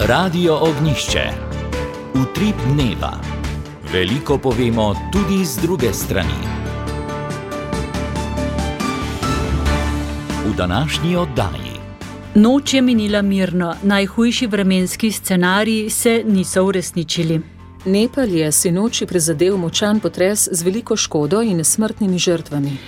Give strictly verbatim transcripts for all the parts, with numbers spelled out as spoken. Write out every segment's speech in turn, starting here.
Radio Ognjišče. Utrip dneva. Veliko povemo tudi z druge strani. V današnji oddaji. Noč je minila mirno, najhujši vremenski scenariji se niso uresničili. Nepal je sinoči prizadel močan potres z veliko škodo in smrtnimi žrtvami.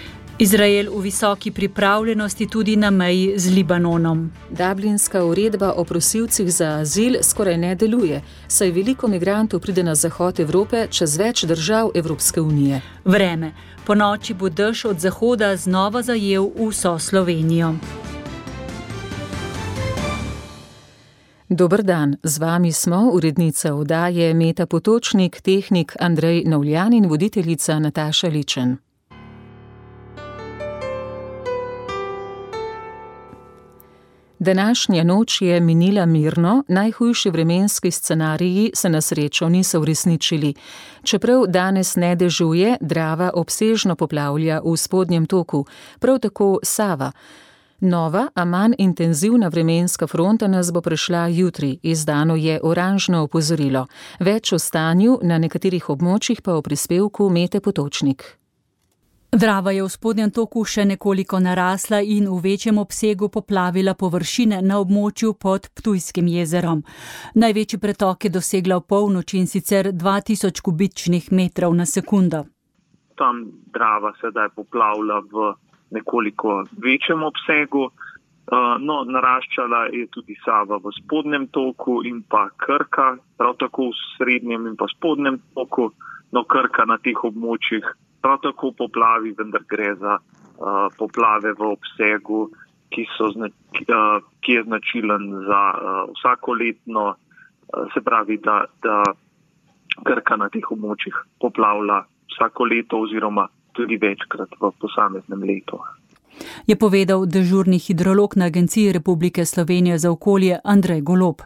Izrael v visoki pripravljenosti tudi na meji z Libanonom. Dublinska uredba o prosilcih za azil skoraj ne deluje, saj veliko migrantov pride na zahod Evrope čez več držav Evropske unije. Vreme. Po noči bo dež od zahoda znova zajel vso Slovenijo. Dober dan, z vami smo urednica oddaje Meta Potočnik, tehnik Andrej Novljan in voditeljica Nataša Ličen. Današnja noč je minila mirno, najhujši vremenski scenariji se na srečo niso uresničili. Čeprav danes ne dežuje, Drava obsežno poplavlja v spodnjem toku, prav tako Sava. Nova, a manj intenzivna vremenska fronta nas bo prešla jutri, izdano je oranžno opozorilo. Več o stanju na nekaterih območjih pa o prispevku Mete Potočnik. Drava je v spodnjem toku še nekoliko narasla in v večjem obsegu poplavila površine na območju pod Ptujskim jezerom. Največji pretok je dosegla v polnoči in sicer dva tisoč kubičnih metrov na sekundo. Tam Drava sedaj poplavlja v nekoliko večjem obsegu. No, naraščala je tudi Sava v spodnjem toku in pa Krka, prav tako v srednjem in pa spodnjem toku, no Krka na teh območjih prav tako poplavi, vendar gre za uh, poplave v obsegu, ki, so zna, uh, ki je značilen za uh, vsakoletno, uh, se pravi, da, da Krka na teh območjih poplavlja vsako leto oziroma tudi večkrat v posameznem letu. Je povedal dežurni hidrolog na Agenciji Republike Slovenije za okolje Andrej Golob.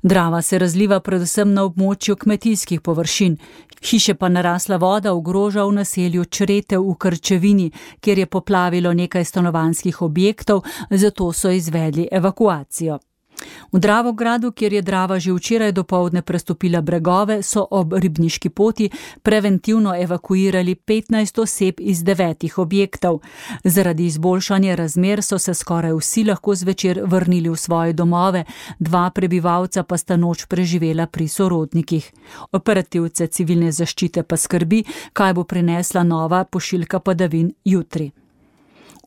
Drava se razliva predvsem na območju kmetijskih površin. Hiše pa narasla voda ogroža v naselju Čretev v Krčevini, kjer je poplavilo nekaj stanovanjskih objektov, zato so izvedli evakuacijo. V Dravogradu, kjer je Drava že včeraj dopoldne prestopila bregove, so ob Ribniški poti preventivno evakuirali petnajst oseb iz devetih objektov. Zaradi izboljšanja razmer so se skoraj vsi lahko zvečer vrnili v svoje domove, dva prebivalca pa sta noč preživela pri sorodnikih. Operativce civilne zaščite pa skrbi, kaj bo prinesla nova pošiljka padavin jutri.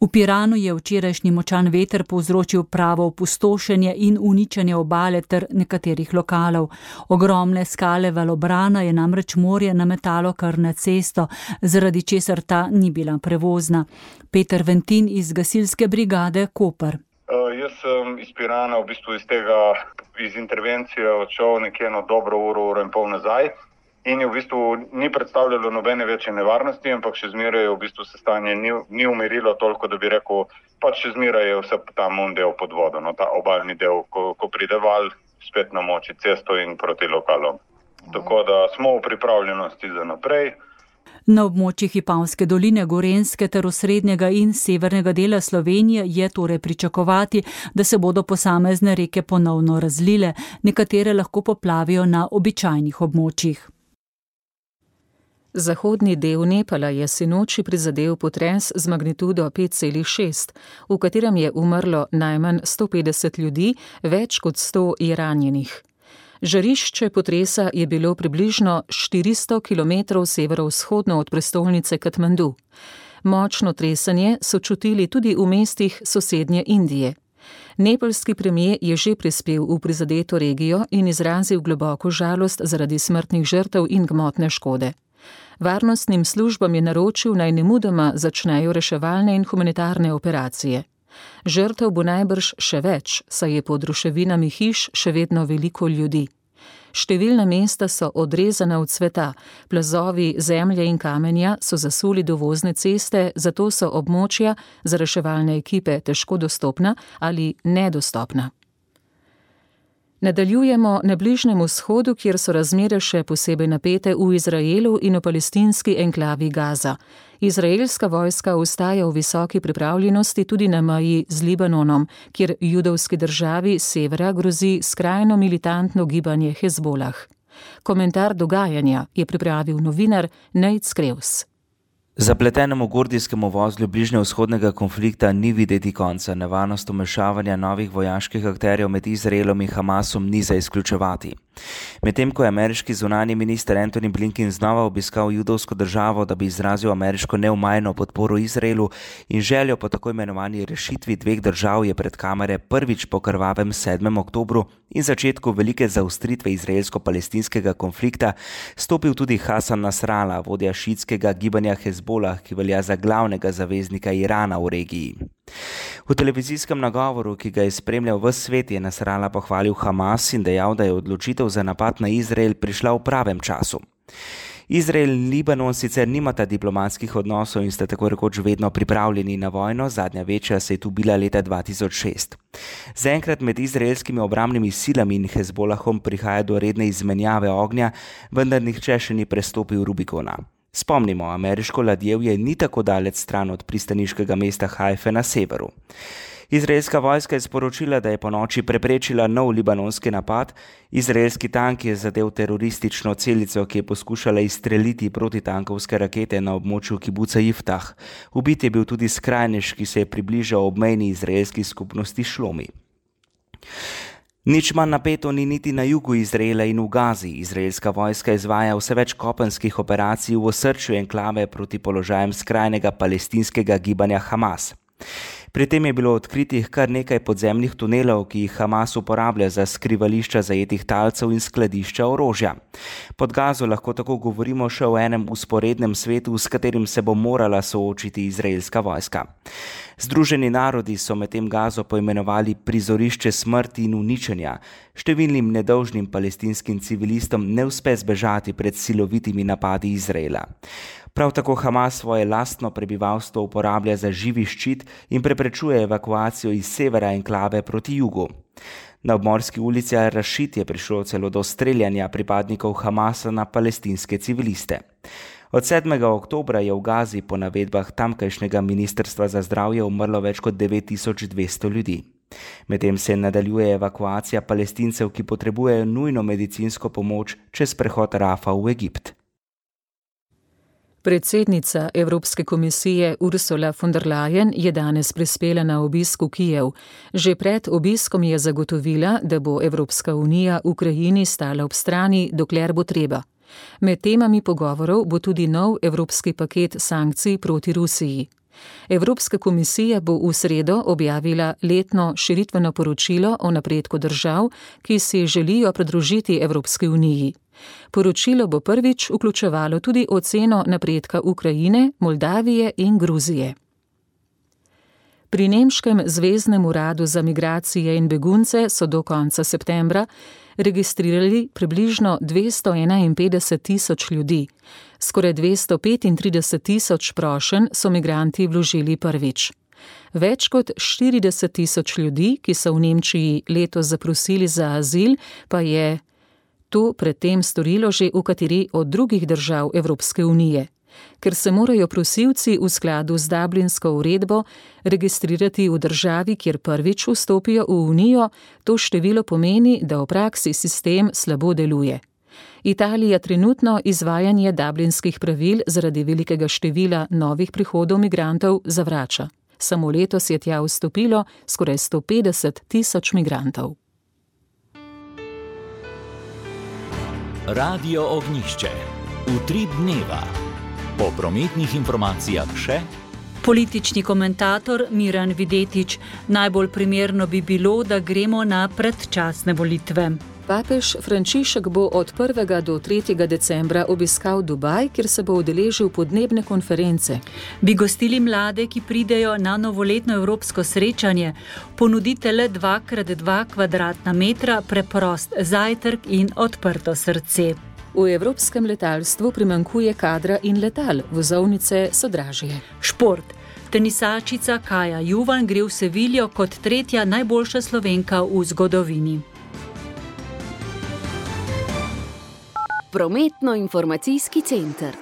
V Piranu je včerajšnji močan veter povzročil pravo opustošenje in uničenje obale ter nekaterih lokalov. Ogromne skale valobrana je namreč morje nametalo kar na cesto, zaradi česar ta ni bila prevozna. Peter Ventin iz gasilske brigade Koper. Uh, jaz sem iz Pirana v bistvu iz tega, iz intervencije odšel nekje eno dobro uro, uro in pol nazaj. In je v bistvu ni predstavljalo nobene večje nevarnosti, ampak še zmeraj v bistvu se stanje ni, ni umirilo toliko, da bi rekel, pač še zmeraj je vse tam un del pod vodo, no, ta obalni del, ko, ko pride val, spet namoči cesto in proti lokalom. Tako da smo v pripravljenosti za naprej. Na območjih Vipavske doline, Gorenjske ter osrednjega in severnega dela Slovenije je torej pričakovati, da se bodo posamezne reke ponovno razlile, nekatere lahko poplavijo na običajnih območjih. Zahodni del Nepala je sinoči prizadel potres z magnitudo pet celih šest, v katerem je umrlo najmanj sto petdeset ljudi, več kot sto je ranjenih. Žarišče potresa je bilo približno štiristo kilometrov severovzhodno od prestolnice Katmandu. Močno tresenje so čutili tudi v mestih sosednje Indije. Nepalski premier je že prispel v prizadeto regijo in izrazil globoko žalost zaradi smrtnih žrtev in gmotne škode. Varnostnim službam je naročil, naj nemudoma začnejo reševalne in humanitarne operacije. Žrtev bo najbrž še več, saj je pod ruševinami hiš še vedno veliko ljudi. Številna mesta so odrezana od sveta, plazovi zemlje in kamenja so zasuli dovozne ceste, zato so območja za reševalne ekipe težko dostopna ali nedostopna. Nadaljujemo na Bližnjem vzhodu, kjer so razmere še posebej napete v Izraelu in v palestinski enklavi Gaza. Izraelska vojska ostaja v visoki pripravljenosti tudi na meji z Libanonom, kjer judovski državi severa grozi skrajno militantno gibanje Hezbolah. Komentar dogajanja je pripravil novinar Nejc Krevs. Zapletenemu gordijskemu vozlu bližnjevzhodnega konflikta ni videti konca, nevarnost vmešavanja novih vojaških akterjev med Izraelom in Hamasom ni za izključevati. Medtem ko je ameriški zunanji minister Antony Blinken znova obiskal judovsko državo, da bi izrazil ameriško neomajno podporo Izraelu in željo po tako imenovani rešitvi dveh držav, je pred kamere prvič po krvavem sedmem oktobru in začetku velike zaostritve izraelsko-palestinskega konflikta stopil tudi Hasan Nasrallah, vodja šiitskega gibanja Hezbolah, ki velja za glavnega zaveznika Irana v regiji. V televizijskem nagovoru, ki ga je spremljal ves svet, je Nasrallah pohvalil Hamas in dejal, da je odločitev za napad na Izrael prišla v pravem času. Izrael in Libanon sicer nimata diplomatskih odnosov in sta tako rekoč vedno pripravljeni na vojno, zadnja večja se je tu bila leta dva tisoč šest. Zaenkrat med izraelskimi obrambnimi silami in Hezbolahom prihaja do redne izmenjave ognja, vendar nihče še ni prestopil Rubikona. Spomnimo, ameriško ladjevje ni tako daleč stran od pristaniškega mesta Haife na severu. Izraelska vojska je sporočila, da je po noči preprečila nov libanonski napad. Izraelski tank je zadel teroristično celico, ki je poskušala izstreliti protitankovske rakete na območju kibuca Jiftah. Ubit je bil tudi skrajnež, ki se je približal obmejni izraelski skupnosti Šlomi. Nič manj napeto ni niti na jugu Izraela in v Gazi. Izraelska vojska izvaja vse več kopenskih operacij v osrčju enklave proti položajem skrajnega palestinskega gibanja Hamas. Pri tem je bilo odkritih kar nekaj podzemnih tunelov, ki jih Hamas uporablja za skrivališča zajetih talcev in skladišča orožja. Pod Gazo lahko tako govorimo še o enem usporednem svetu, s katerim se bo morala soočiti izraelska vojska. Združeni narodi so medtem Gazo poimenovali prizorišče smrti in uničenja. Številnim nedolžnim palestinskim civilistom ne uspe zbežati pred silovitimi napadi Izraela. Prav tako Hamas svoje lastno prebivalstvo uporablja za živi ščit in preprečuje evakuacijo iz severa enklave proti jugu. Na obmorski ulici Al-Rashid je prišlo celo do streljanja pripadnikov Hamasa na palestinske civiliste. Od sedmega oktobra je v Gazi po navedbah tamkajšnjega ministrstva za zdravje umrlo več kot devet tisoč dvesto ljudi. Medtem se nadaljuje evakuacija palestincev, ki potrebujejo nujno medicinsko pomoč čez prehod Rafa v Egipt. Predsednica Evropske komisije Ursula von der Leyen je danes prispela na obisk v Kijev. Že pred obiskom je zagotovila, da bo Evropska unija Ukrajini stala ob strani, dokler bo treba. Med temami pogovorov bo tudi nov evropski paket sankcij proti Rusiji. Evropska komisija bo v sredo objavila letno širitveno poročilo o napredku držav, ki si želijo pridružiti Evropski uniji. Poročilo bo prvič vključevalo tudi oceno napredka Ukrajine, Moldavije in Gruzije. Pri nemškem zveznem uradu za migracije in begunce so do konca septembra registrirali približno dvesto enainpetdeset tisoč ljudi. Skoraj dvesto petintrideset tisoč prošenj so migranti vložili prvič. Več kot štirideset tisoč ljudi, ki so v Nemčiji letos zaprosili za azil, pa je to predtem storilo že v kateri od drugih držav Evropske unije. Ker se morajo prosilci v skladu z Dublinsko uredbo registrirati v državi, kjer prvič vstopijo v Unijo, to število pomeni, da v praksi sistem slabo deluje. Italija trenutno izvajanje dublinskih pravil zaradi velikega števila novih prihodov migrantov zavrača. Samo letos je tja vstopilo skoraj sto petdeset tisoč migrantov. Radio Ognjišče. Utrip dneva. Po prometnih informacijah še politični komentator Miran Videtič. Najbolj primerno bi bilo, da gremo na predčasne volitve. Papež Frančišek bo od prvega do tretjega decembra obiskal Dubaj, kjer se bo udeležil podnebne konference. Bi gostili mlade, ki pridejo na novoletno evropsko srečanje, ponudite le dva krat dva kvadratna metra, preprost zajtrk in odprto srce. V evropskem letalstvu primanjkuje kadra in letal, vozovnice so dražje. Šport. Tenisačica Kaja Juvan gre v Seviljo kot tretja najboljša Slovenka v zgodovini. Prometno-informacijski center.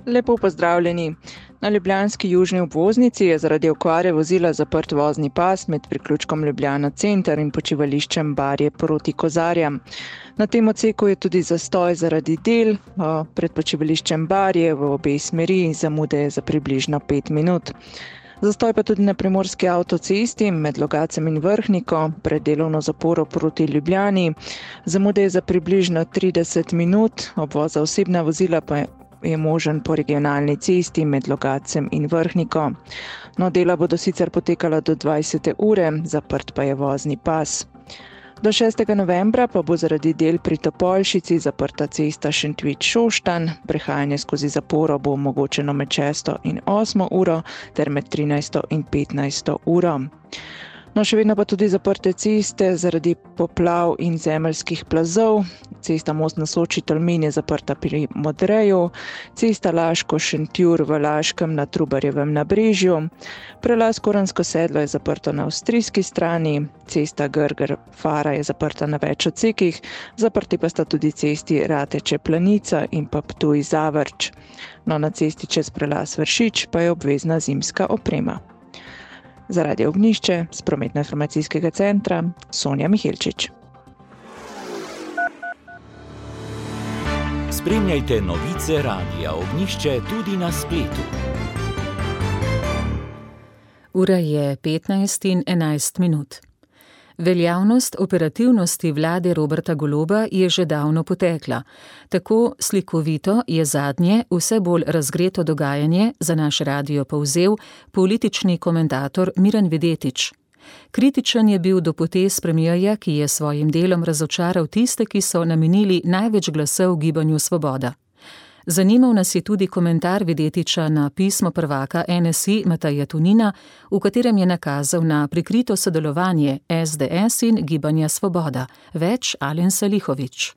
Lepo pozdravljeni. Na ljubljanski južni obvoznici je zaradi okvare vozila zaprt vozni pas med priključkom Ljubljana center in počivališčem Barje proti Kozarjam. Na tem odseku je tudi zastoj zaradi del pred počivališčem Barje v obe smeri in zamude je za približno pet minut. Zastoj pa tudi na primorski avtocesti med Logacem in Vrhniko pred delovno zaporo proti Ljubljani. Zamude je za približno trideset minut, obvoz za osebna vozila pa je možen po regionalni cesti med Logacem in Vrhniko. No, dela bodo sicer potekala do dvajsete ure, zaprt pa je vozni pas. Do šestega novembra pa bo zaradi del pri Topolšici zaprta cesta Šentvid-Šoštanj, prehajanje skozi zaporo bo omogočeno med šesto in osmo uro ter med trinajsto in petnajsto uro. No, še vedno pa tudi zaprte ceste zaradi poplav in zemeljskih plazov. Cesta Most na Soči Tolmin je zaprta pri Modreju, cesta Laško-Šentjur v Laškem na Trubarjevem nabrežju, prelaz Koransko sedlo je zaprto na avstrijski strani, cesta Grger-Fara je zaprta na več odsekih, zaprti pa sta tudi cesti Rateče-Planica in pa Ptuj-Zavrč. No, na cesti čez prelaz Vršič pa je obvezna zimska oprema. Za Radio Ognjišče z Prometno-informacijskega centra Sonja Mihelčič. Spremljajte novice Radia Ognjišče tudi na spletu. Ura je petnajst in enajst minut. Veljavnost operativnosti vlade Roberta Goloba je že davno potekla. Tako slikovito je zadnje, vse bolj razgreto dogajanje za naš radio povzel politični komentator Miran Videtič. Kritičen je bil do potez premierja, ki je svojim delom razočaral tiste, ki so namenili največ glasov Gibanju Svoboda. Zanimal nas je tudi komentar Videtiča na pismo prvaka N S I Mateja Tonina, v katerem je nakazal na prikrito sodelovanje S D S in Gibanja Svoboda. Več Alen Salihović.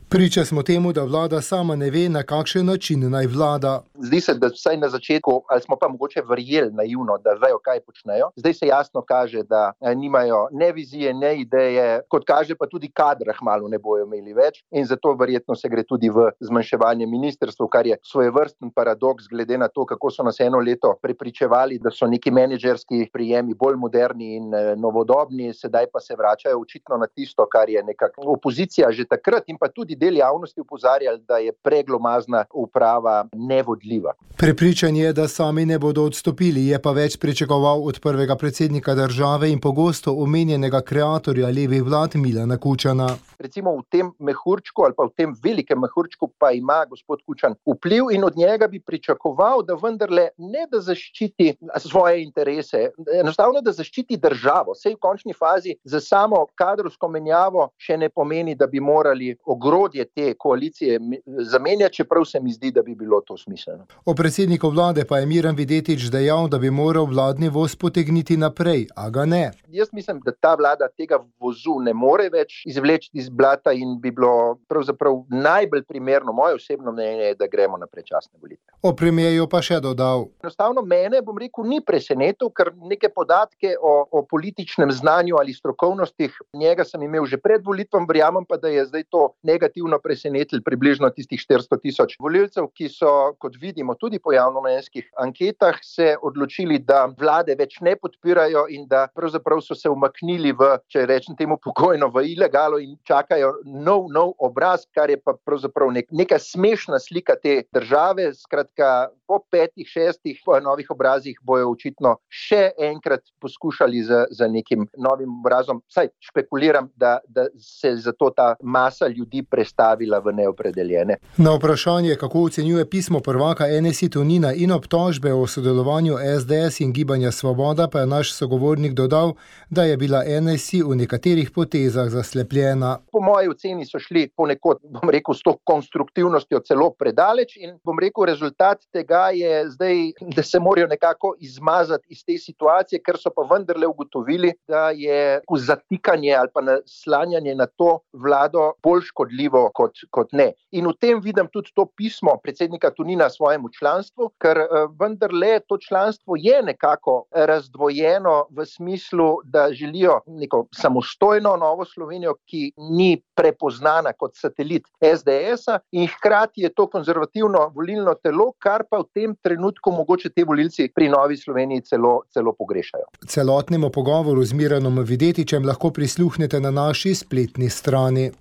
Priča smo temu, da vlada sama ne ve, na kakšen način naj vlada. Zdi se, da vsaj na začetku, ali smo pa mogoče verjeli naivno, da vejo, kaj počnejo. Zdaj se jasno kaže, da nimajo ne vizije, ne ideje, kot kaže pa tudi kadra hmalu ne bojo imeli več in zato verjetno se gre tudi v zmanjševanje ministrstv, kar je svojevrsten paradoks glede na to, kako so nas eno leto prepričevali, da so neki menedžerski prijemi bolj moderni in novodobni, sedaj pa se vračajo očitno na tisto, kar je nekako opozicija že takrat in pa tudi del javnosti upozarjali, da je preglomazna uprava nevodljiva. Prepričan je, da sami ne bodo odstopili, je pa več pričakoval od prvega predsednika države in pogosto omenjenega kreatorja levih vlad Milana Kučana. Recimo v tem mehurčku ali pa v tem velikem mehurčku pa ima gospod Kučan vpliv in od njega bi pričakoval, da vendarle ne da zaščiti svoje interese, enostavno da zaščiti državo. Sej v končni fazi za samo kadrovsko menjavo še ne pomeni, da bi morali ogrodje te koalicije zamenjati, čeprav se mi zdi, da bi bilo to smiselno. O predsedniku vlade pa je Miran Videtič dejal, da bi moral vladni voz potegniti naprej, a ga ne. Jaz mislim, da ta vlada tega vozu ne more več izvleči iz blata in bi bilo pravzaprav najbolj primerno, moje osebno mnenje, da gremo na predčasne volitve. O premierju pa še dodal. Enostavno mene, bom rekel, ni presenetil, ker neke podatke o, o političnem znanju ali strokovnostih njega sem imel že pred volitvam, verjamem pa, da je zdaj to negativno presenetili približno tistih štiristo tisoč volilcev, ki so, kot vidimo tudi po javnomnenjskih anketah, se odločili, da vlade več ne podpirajo in da pravzaprav so se umaknili v, če rečem temu pokojno, v ilegalo in čakajo nov, nov obraz, kar je pa pravzaprav nek, neka smešna slika te države. Skratka, po petih, šestih novih obrazih bojo očitno še enkrat poskušali za, za nekim novim obrazom. Saj špekuliram, da, da se zato ta masa ljudi prestavila v neopredeljene. Na vprašanje, kako ocenjuje pismo prvaka N S I Tonina in obtožbe o sodelovanju S D S in Gibanja Svoboda, pa je naš sogovornik dodal, da je bila N S I v nekaterih potezah zaslepljena. Po moji oceni so šli ponekod, bom rekel, s to konstruktivnostjo celo predaleč in bom rekel, rezultat tega je zdaj, da se morajo nekako izmazati iz te situacije, ker so pa vendarle ugotovili, da je zatikanje ali pa naslanjanje na to vlado bolj škodljivo kot, kot ne. In v tem vidim tudi to pismo predsednika Tonina svojemu članstvu, ker vendarle to članstvo je nekako razdvojeno v smislu, da želijo neko samostojno Novo Slovenijo, ki ni ni prepoznana kot satelit es de esa in hkrati je to konzervativno volilno telo, kar pa v tem trenutku mogoče te volilci pri Novi Sloveniji celo, celo pogrešajo. Celotnemu pogovoru z Miranom Videtičem lahko prisluhnete na naši spletni strani.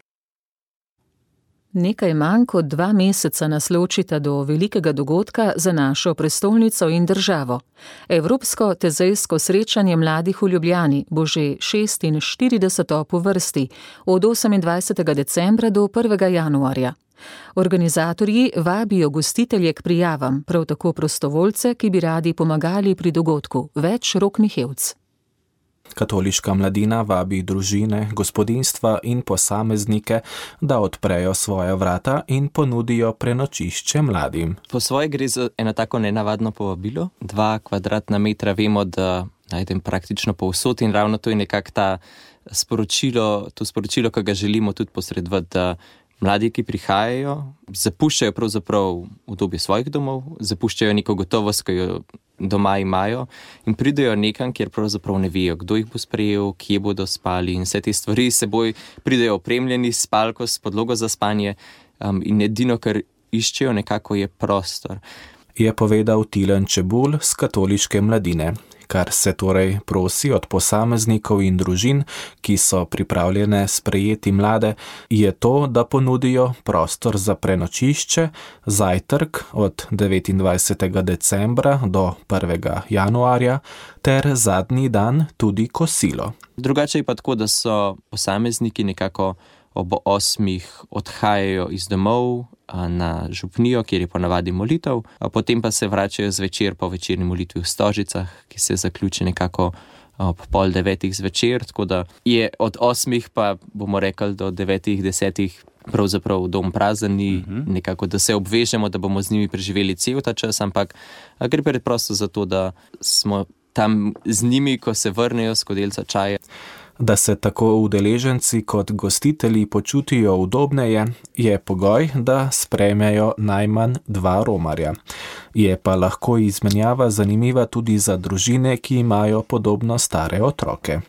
Nekaj manj kot dva meseca nas ločita do velikega dogodka za našo prestolnico in državo. Evropsko tezejsko srečanje mladih v Ljubljani bo že šestinštirideseto po vrsti, od osemindvajsetega decembra do prvega januarja. Organizatorji vabijo gostitelje k prijavam, prav tako prostovoljce, ki bi radi pomagali pri dogodku. Več Rok Mihevc. Katoliška mladina vabi družine, gospodinjstva in posameznike, da odprejo svoja vrata in ponudijo prenočišče mladim. Po svoje gre za eno tako nenavadno povabilo. Dva kvadratna metra vemo, da najdem praktično povsod in ravno to je nekako ta sporočilo, to sporočilo, ki ga želimo tudi posredovati, da mladi, ki prihajajo, zapuščajo pravzaprav udobje svojih domov, zapuščajo neko gotovost, ki jo doma imajo in pridejo nekam, kjer pravzaprav ne vejo, kdo jih bo sprejel, kje bodo spali in vse te stvari seboj pridejo opremljeni s spalko, s podlogo za spanje um, in edino, kar iščejo nekako je prostor. Je povedal Tilen Čebulj z Katoliške mladine. Kar se torej prosi od posameznikov in družin, ki so pripravljene sprejeti mlade, je to, da ponudijo prostor za prenočišče, zajtrk od devetindvajsetega decembra do prvega januarja ter zadnji dan tudi kosilo. Drugače je pa tako, da so posamezniki nekako ob osmih odhajajo iz domov na župnijo, kjer je ponavadi molitev, potem pa se vračajo zvečer po večerni molitvi v Stožicah, ki se zaključi nekako ob pol devetih zvečer, tako da je od osmih pa bomo rekli do devetih, desetih pravzaprav dom prazen, uh-huh. nekako da se obvežemo, da bomo z njimi preživeli cel ta čas, ampak gre preprosto za to, da smo tam z njimi, ko se vrnejo s skodelico čaja. Da se tako udeleženci kot gostitelji počutijo udobneje, je pogoj, da sprejmejo najmanj dva romarja. Je pa lahko izmenjava zanimiva tudi za družine, ki imajo podobno stare otroke.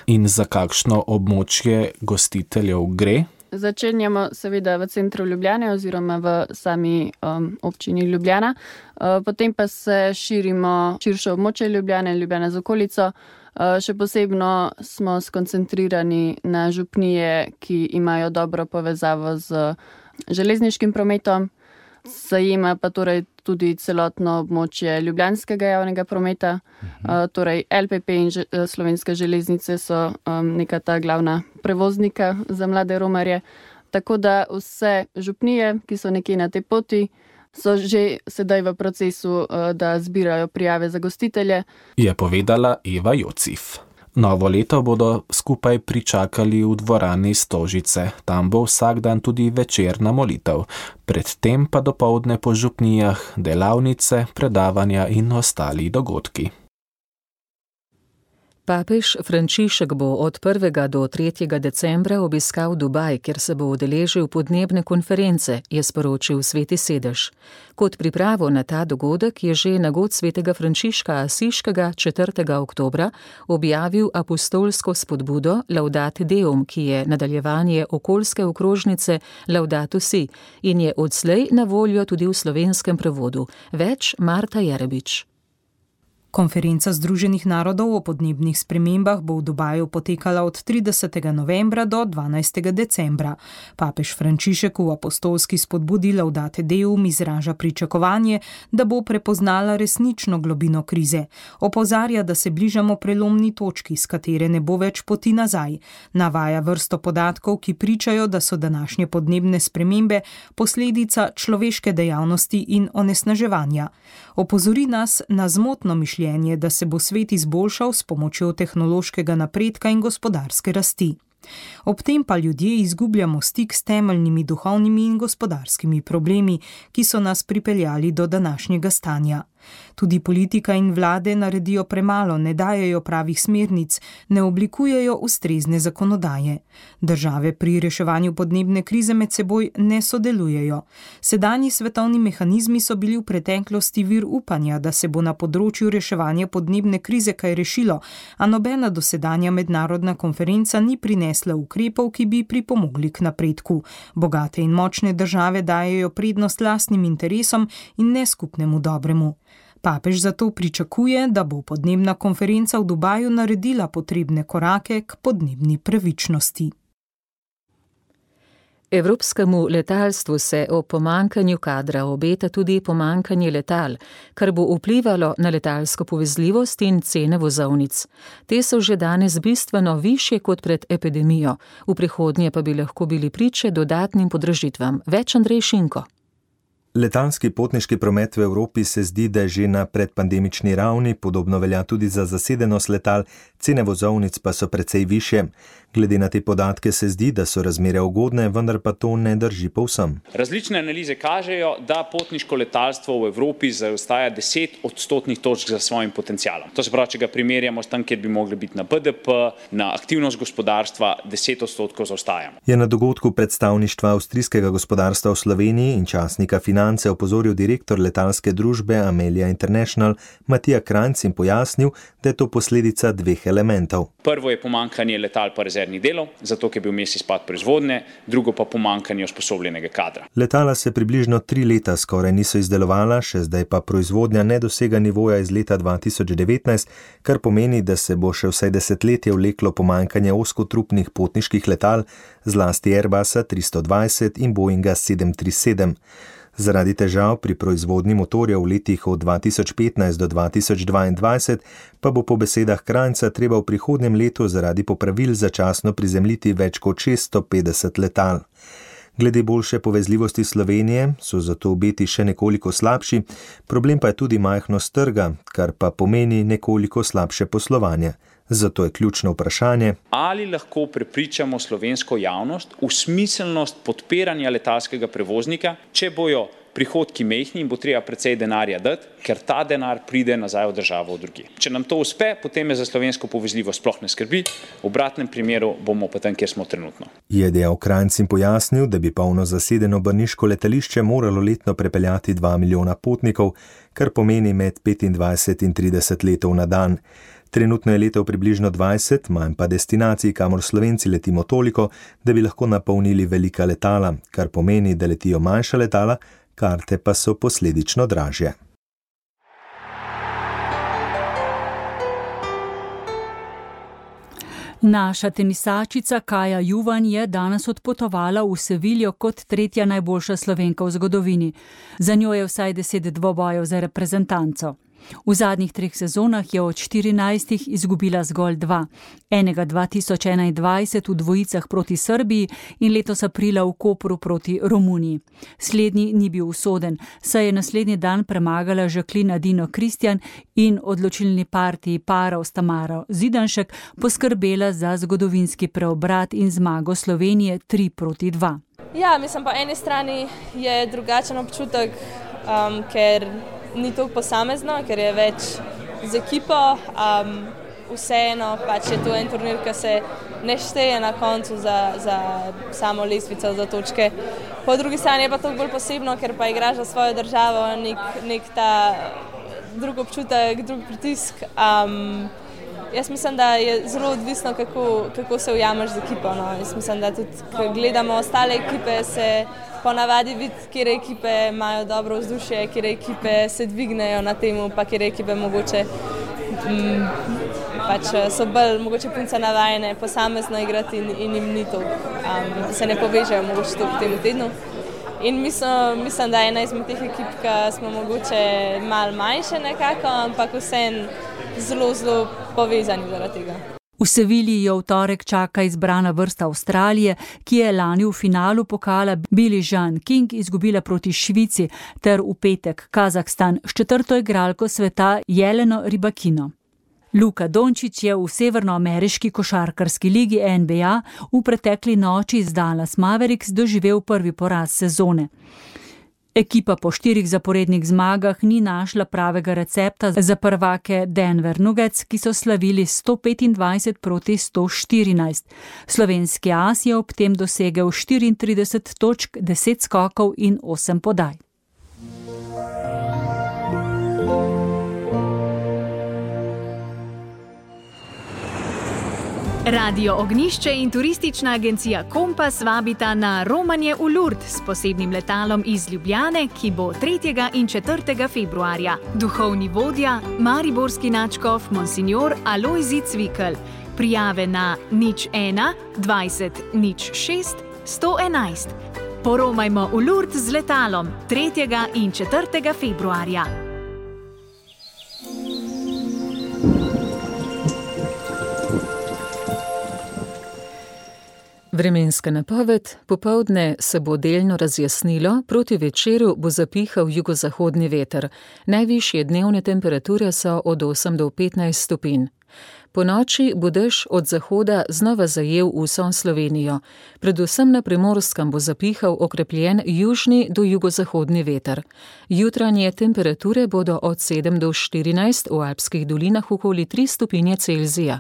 In za kakšno območje gostiteljev gre? Začenjamo seveda v centru Ljubljane oziroma v sami um, občini Ljubljana, uh, potem pa se širimo širše območje Ljubljane, Ljubljana z okolico. Uh, še posebno smo skoncentrirani na župnije, ki imajo dobro povezavo z železniškim prometom, zajema pa torej tudi celotno območje ljubljanskega javnega prometa, uh, torej el pe pe in že, Slovenske železnice so um, neka ta glavna prevoznika za mlade romarje, tako da vse župnije, ki so nekje na tej poti, so že sedaj v procesu, da zbirajo prijave za gostitelje. Je povedala Eva Jocif. Novo leto bodo skupaj pričakali v dvorani Stožice. Tam bo vsak dan tudi večerna molitev. Predtem pa dopoldne po župnijah delavnice, predavanja in ostali dogodki. Papež Frančišek bo od prvega do tretjega decembra obiskal Dubaj, kjer se bo udeležil podnebne konference, je sporočil Sveti sedež. Kot pripravo na ta dogodek je že na god svetega Frančiška Asiškega četrtega oktobra objavil apostolsko spodbudo Laudate Deum, ki je nadaljevanje okoljske okrožnice Laudato Si in je odslej na voljo tudi v slovenskem prevodu. Več Marta Jerebič. Konferenca Združenih narodov o podnebnih spremembah bo v Dubaju potekala od tridesetega novembra do dvanajstega decembra. Papež Frančišek v apostolski spodbudi Laudate Deum izraža pričakovanje, da bo prepoznala resnično globino krize. Opozarja, da se bližamo prelomni točki, s katere ne bo več poti nazaj. Navaja vrsto podatkov, ki pričajo, da so današnje podnebne spremembe posledica človeške dejavnosti in onesnaževanja. Opozori nas na zmotno mišljenje, da se bo svet izboljšal s pomočjo tehnološkega napredka in gospodarske rasti. Ob tem pa ljudje izgubljamo stik s temeljnimi duhovnimi in gospodarskimi problemi, ki so nas pripeljali do današnjega stanja. Tudi politika in vlade naredijo premalo, ne dajejo pravih smernic, ne oblikujejo ustrezne zakonodaje. Države pri reševanju podnebne krize med seboj ne sodelujejo. Sedanji svetovni mehanizmi so bili v preteklosti vir upanja, da se bo na področju reševanja podnebne krize kaj rešilo, a nobena dosedanja mednarodna konferenca ni prinesla ukrepov, ki bi pripomogli k napredku. Bogate in močne države dajejo prednost lastnim interesom in ne skupnemu dobremu. Papež zato pričakuje, da bo podnebna konferenca v Dubaju naredila potrebne korake k podnebni pravičnosti. Evropskemu letalstvu se ob pomanjkanju kadra obeta tudi pomanjkanje letal, kar bo vplivalo na letalsko povezljivost in cene vozovnic. Te so že danes bistveno višje kot pred epidemijo, v prihodnje pa bi lahko bili priče dodatnim podražitvam. Več Andrej Šinko. Letalski potniški promet v Evropi se zdi, da je že na predpandemični ravni, podobno velja tudi za zasedenost letal, cene vozovnic pa so precej višje. Glede na te podatke se zdi, da so razmere ugodne, vendar pa to ne drži povsem. Različne analize kažejo, da potniško letalstvo v Evropi zaostaja deset odstotnih točk za svojim potencialom. To se pravi, če ga primerjamo s tam, kjer bi mogli biti na B D P, na aktivnost gospodarstva, deset odstotkov zaostajamo. Je na dogodku predstavništva avstrijskega gospodarstva v Sloveniji in časnika Finance opozoril direktor letalske družbe Amelia International Matija Krajnc in pojasnil, da je to posledica dveh elementov. Prvo je pomanjkanje letal pa rezervnih delov, zato ker je bil vmes izpad proizvodnje, drugo pa pomanjkanje usposobljenega kadra. Letala se približno tri leta skoraj niso izdelovala, še zdaj pa proizvodnja ne dosega nivoja iz leta dva tisoč devetnajst, kar pomeni, da se bo še vsaj desetletje vleklo pomanjkanje ozkotrupnih potniških letal, zlasti Airbusa tristo dvajset in Boeinga sedem tri sedem. Zaradi težav pri proizvodnji motorjev v letih od dva tisoč petnajst do dva tisoč dvaindvajset pa bo po besedah Krajnca treba v prihodnjem letu zaradi popravil začasno prizemljiti več kot šeststo petdeset letal. Glede boljše povezljivosti Slovenije so zato obeti še nekoliko slabši, problem pa je tudi majhnost trga, kar pa pomeni nekoliko slabše poslovanje. Zato je ključno vprašanje, ali lahko prepričamo slovensko javnost v smiselnost podpiranja letalskega prevoznika, če bojo prihodki mehni in bo treba precej denarja dati, ker ta denar pride nazaj v državo od drugje. Če nam to uspe, potem je za slovensko povezljivost sploh ne skrbi, v obratnem primeru bomo pa tam, kjer smo trenutno. Je dejal Krajnc in pojasnil, da bi polno zasedeno brniško letališče moralo letno prepeljati dva milijona potnikov, kar pomeni med petindvajset in trideset letov na dan. Trenutno je letov približno dvajset, manj pa destinacij, kamor Slovenci letimo toliko, da bi lahko napolnili velika letala, kar pomeni, da letijo manjša letala, karte pa so posledično dražje. Naša tenisačica Kaja Juvan je danes odpotovala v Seviljo kot tretja najboljša Slovenka v zgodovini. Za njo je vsaj deset dvobojev za reprezentanco. V zadnjih treh sezonah je od štirinajstih izgubila zgolj dva. Enega dva tisoč enaindvajset v dvojicah proti Srbiji in letos aprila v Kopru proti Romuniji. Slednji ni bil usoden, saj je naslednji dan premagala Jacqueline Adino Kristjan in odločilni partiji parov s Tamaro Zidanšek poskrbela za zgodovinski preobrat in zmago Slovenije tri proti dva. Ja, mislim, po eni strani je drugačen občutek, um, ker ni toliko posamezno, ker je več z ekipo, um, vseeno pač je to en turnir, ki se ne šteje na koncu za, za samo lestvico, za točke. Po drugi strani je pa to bolj posebno, ker pa igraš za svojo državo, nek, nek ta drug občutek, drug pritisk. Um, jaz mislim, da je zelo odvisno, kako, kako se ujameš z ekipo. No. Jaz mislim, da tudi, ko gledamo ostale ekipe, se ponavadi vidi, kjer ekipe imajo dobro vzdušje, kjer ekipe se dvignejo na temu, pa kjer ekipe mogoče m, pač so bolj mogoče punce navajene posamezno igrati in, in jim ni to, um, se ne povežejo mogoče to v tem tednu. In mislim, mislim, da je ena izmed teh ekip, ki smo mogoče malo manjše nekako, ampak vseeno zelo, zelo povezani zaradi tega. V Sevilji jo v torek čaka izbrana vrsta Avstralije, ki je lani v finalu pokala Billie Jean King izgubila proti Švici, ter v petek Kazahstan s četrto igralko sveta Jeleno Rybakino. Luka Dončić je v severnoameriški košarkarski ligi N B A v pretekli noči z Dallas Mavericks doživel prvi poraz sezone. Ekipa po štirih zaporednih zmagah ni našla pravega recepta za prvake Denver Nuggets, ki so slavili sto petindvajset proti sto štirinajst. Slovenski as je ob tem dosegel štiriintrideset točk, deset skokov in osem podaj. Radio Ognjišče in turistična agencija Kompas vabita na romanje v Lourdes s posebnim letalom iz Ljubljane, ki bo tretjega in četrtega februarja. Duhovni vodja, mariborski nadškof Monsignor Alojzij Cvikl. Prijave na nič ena dvajset nič šest sto enajst. Poromajmo v Lourdes z letalom tretjega in četrtega februarja. Vremenska napoved: popoldne se bo delno razjasnilo, proti večeru bo zapihal jugozahodni veter. Najvišje dnevne temperature so od osem do petnajst stopinj. Po noči bo dež od zahoda znova zajel vso Slovenijo. Predvsem na Primorskem bo zapihal okrepljen južni do jugozahodni veter. Jutranje temperature bodo od sedem do štirinajst, v alpskih dolinah okoli tri stopinje Celzija.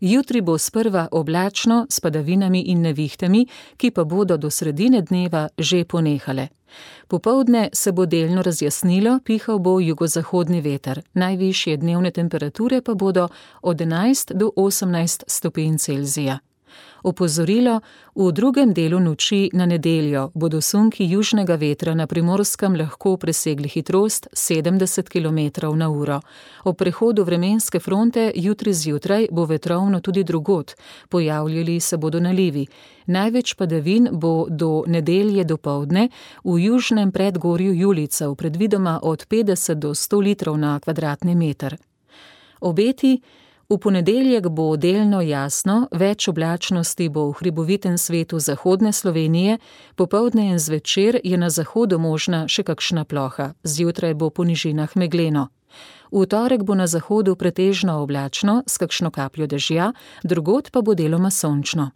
Jutri bo sprva oblačno s padavinami in nevihtami, ki pa bodo do sredine dneva že ponehale. Popoldne se bo delno razjasnilo, pihal bo jugozahodni veter. Najvišje dnevne temperature pa bodo od enajst do osemnajst stopinj Celzija. Opozorilo: v drugem delu noči na nedeljo bodo sunki južnega vetra na Primorskem lahko presegli hitrost sedemdeset kilometrov na uro. Ob prehodu vremenske fronte jutri zjutraj bo vetrovno tudi drugod, pojavljali se bodo nalivi. Največ padavin bo do nedelje dopoldne v južnem predgorju Julicev, predvidoma od petdeset do sto litrov na kvadratni meter. Obeti: v ponedeljek bo delno jasno, več oblačnosti bo v hribovitem svetu zahodne Slovenije, popoldne in zvečer je na zahodu možna še kakšna ploha, zjutraj bo po nižinah megleno. V torek bo na zahodu pretežno oblačno s kakšno kapljo dežja, drugod pa bo deloma sončno.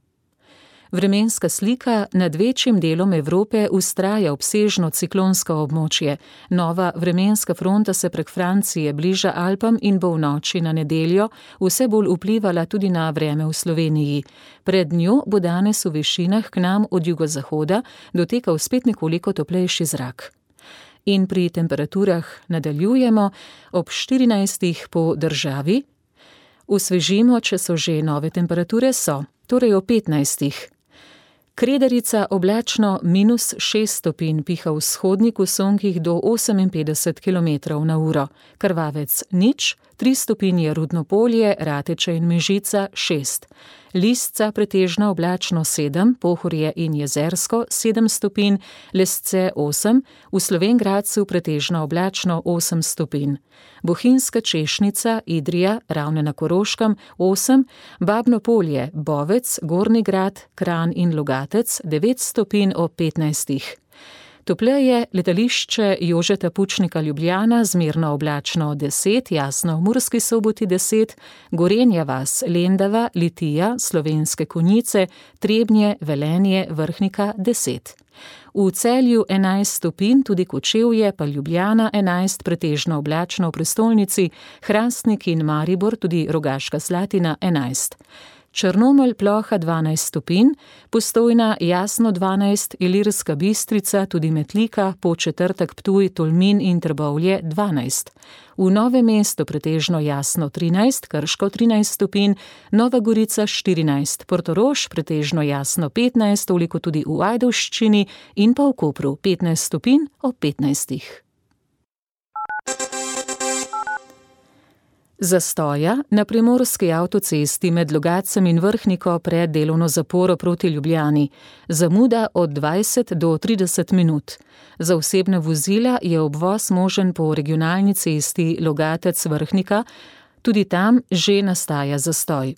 Vremenska slika: nad večjim delom Evrope vztraja obsežno ciklonsko območje. Nova vremenska fronta se prek Francije bliža Alpam in bo v noči na nedeljo vse bolj vplivala tudi na vreme v Sloveniji. Pred njo bo danes v višinah k nam od jugozahoda dotekal spet nekoliko toplejši zrak. In pri temperaturah nadaljujemo ob štirinajstih po državi. Osvežimo, če so že nove temperature, so, torej o petnajstih. Kredarica oblačno minus šest stopinj, piha vzhodnik v sunkih do oseminpetdeset kilometrov na uro. Krvavec nič, tri stopinje Rudno Polje, Rateče in Mežica šest. Lisca pretežno oblačno sedem, Pohorje in Jezersko sedem stopinj, Lesce osem, v Slovenj Gradcu pretežno oblačno osem stopinj. Bohinjska Češnica, Idrija, Ravne na Koroškem osem, Babno Polje, Bovec, Gornji Grad, Kranj in Logatec devet stopinj ob petnajstih. Topleje letališče Jožeta Pučnika Ljubljana, zmerno oblačno deset, jasno v Murski Soboti deset, Gorenja vas, Lendava, Litija, Slovenske Konjice, Trebnje, Velenje, Vrhnika deset. V Celju enajst stopinj, tudi Kočevje, pa Ljubljana enajst, pretežno oblačno v prestolnici, Hrastnik in Maribor, tudi Rogaška Slatina enajst. Črnomelj ploha dvanajst stopinj, Postojna jasno dvanajst, Ilirska Bistrica, tudi Metlika, Podčetrtek, Ptuj, Tolmin in Trbovlje dvanajst. V Novem mestu pretežno jasno trinajst, Krško trinajst stopinj, Nova Gorica štirinajst, Portorož pretežno jasno petnajst, toliko tudi v Ajdovščini in pa v Kopru petnajst stopinj ob petnajstih. Zastoja na primorski avtocesti med Logatcem in Vrhniko pred delovno zaporo proti Ljubljani. Zamuda od dvajset do trideset minut. Za osebne vozila je obvoz možen po regionalni cesti Logatec-Vrhnika, tudi tam že nastaja zastoj.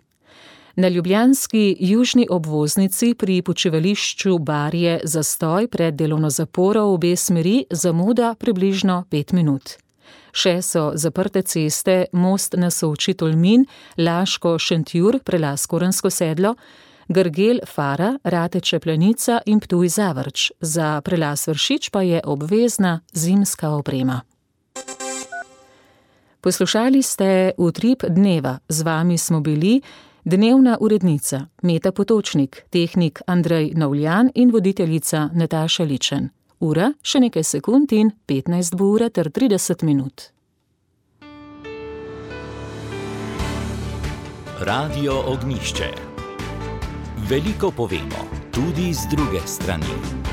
Na ljubljanski južni obvoznici pri počivališču Barje zastoj pred delovno zaporo v obe smeri, zamuda približno pet minut. Še so zaprte ceste Most na Soči Tolmin, Laško Šentjur, prelaz Korensko sedlo, Grgel Fara, Rateče Planica in Ptuj Zavrč. Za prelaz Vršič pa je obvezna zimska oprema. Poslušali ste Utrip dneva. Z vami smo bili dnevna urednica Meta Potočnik, tehnik Andrej Novljan in voditeljica Nataša Ličen. Ura še nekaj sekund in petnajst bo ura ter trideset minut. Radio Ognjišče. Veliko povemo, tudi z druge strani.